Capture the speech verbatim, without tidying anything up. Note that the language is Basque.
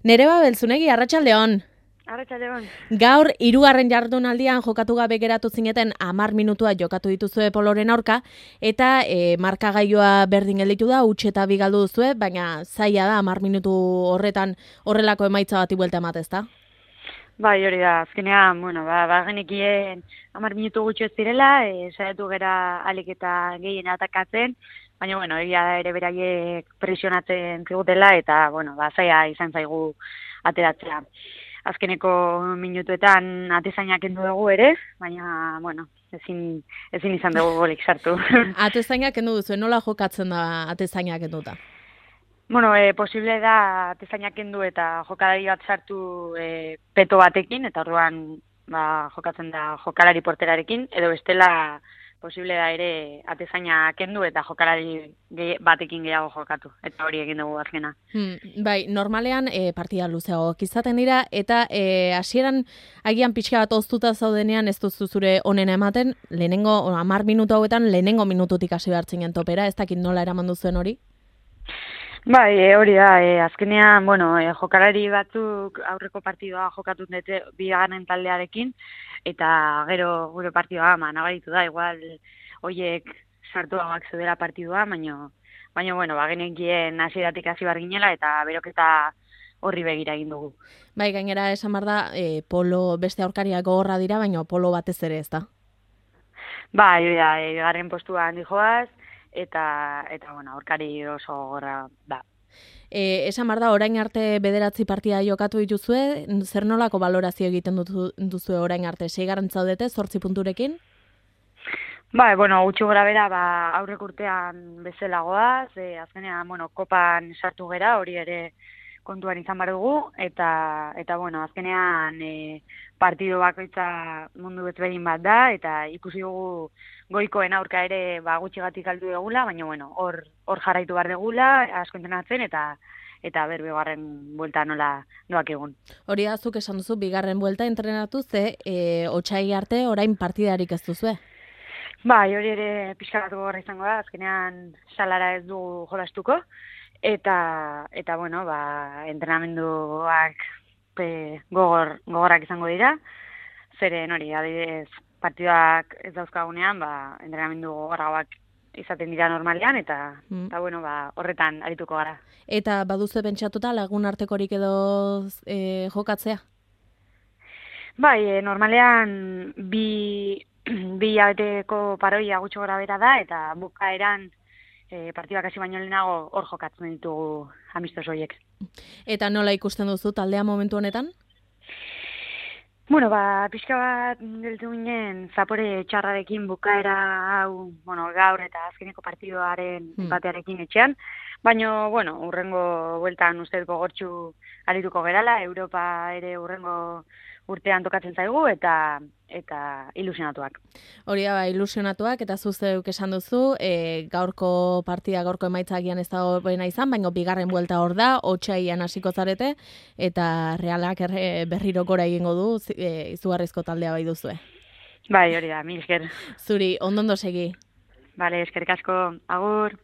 Nereba Belzunegi, arratsaldeon. Arratsaldeon. Gaur hirugarren jardunaldian jokatu gabe geratu zineten hamar minutua jokatu dituzue Poloren aurka eta e, markagailua berdin gelditu da, huts eta bi galdu duzue, baina zaila da hamar minutu horretan horrelako emaitza bati buelta emat, ezta? Bai, hori da. Azkenean, bueno, ba bagenekien hamar minutu gutxi ez direla, eh saiatu gera alik eta gehien atakatzen, baina bueno, egia da ere beraiek presionatzen zigutela eta bueno, ba zaila izan zaigu ateratzea. Azkeneko minutuetan atezainak kendu dugu ere, baina, bueno, ezin, ezin izan dugu golik sartu. Atezainak kendu duzu, nola jokatzen da atezainak kenduta? Bueno, e, posible da atezainak kendu eta jokalari bat sartu e, peto batekin, eta orduan ba, jokatzen da jokalari porterarekin, edo bestela posible da ere atezaina kendu eta jokalari gehi, batekin gehiago jokatu. Eta hori egin dugu azkena. Hmm, bai, normalean e, partida luzeagoak izaten dira, eta e, hasieran agian pixka bat oztuta zaudenean ez duzu zure onena ematen, lehenengo, hamar minutu hauetan, lehenengo minututik hasi behartzen topera, ez dakit nola eraman duzuen hori? Bai, e, hori da, e, azkenean, bueno, e, jokalari batzuk aurreko partidua jokatu dute bigarren taldearekin, eta gero gure partidua ama nabaritu da, igual hoiek sartuagoak zeudela partidua, baina, baina bueno, ba, genekien hasieratik hasi bar ginela, eta beroketa horri begira egin dugu. Bai, gainera esan behar da, e, polo beste aurkariak gogorra dira, baina polo batez ere ez da? Bai, hori da, e, garren postuan dijoaz, eta, eta bueno, aurkari oso gogorra da. E, esan behar da, orain arte bederatzi partida jokatu dituzue, zer nolako balorazio egiten duzu, duzue orain arte? Seigarren zaudete, zortzi punturekin? Bai, bueno, gutxi gora bera, ba, aurrek urtean bezalagoaz, e, azkenean, bueno, kopan sartu gera, hori ere kontuan izan behar dugu, eta, eta bueno, azkenean e, partido bakoitza mundu bezberdin bat da, eta ikusi dugu goikoen aurka ere ba, gutxigatik galdu dugula, baina bueno, hor hor jarraitu behar dugula, asko entrenatzen, eta eta ber bigarren buelta nola doak egun. Hori da, zuk esan duzu, bigarren buelta entrenatu ze, e, otsai arte orain partidarik ez duzue? Bai, hori ere pixka bat gogorra izango da, azkenean salara ez dugu jolastuko, eta, eta bueno, ba, entrenamenduak pe, gogor, gogorrak izango dira, zeren hori, adibidez, partidak ez dauzkagunean, ba, entrenamendu gogorragoak izaten dira normalean, eta, mm. eta bueno, ba, horretan arituko gara. Eta baduzu pentsatuta lagun artekorik edo e, jokatzea? Bai, e, normalean bi, bi hilabeteko paroia gutxo gora bera da, eta bukaeran e, partibak hasi baino lehenago hor jokatzen ditugu amistos horiek. Eta nola ikusten duzu taldea momentu honetan? Bueno, ba, pixka bat geltu ginen zapore txarrarekin bukaera hau, bueno, gaur eta azkeneko partidoaren hmm. empatearekin etxean, baina, bueno, urrengo bueltan uste gogortxu arituko gerala, Europa ere urrengo urtean tokatzen zaigu, eta eta ilusionatuak. Hori da, ba, ilusionatuak, eta zuzeuk esan duzu, e, gaurko partida, gaurko emaitzagian ez da horrena izan, baina bigarren buelta hor da, otsaian hasiko zarete, eta Realak erre, berriro gora egingo du, e, izugarrizko taldea bai duzue. Bai, hori da, mil esker. Zuri, ondondo segi. Bale, eskerrik asko, agur.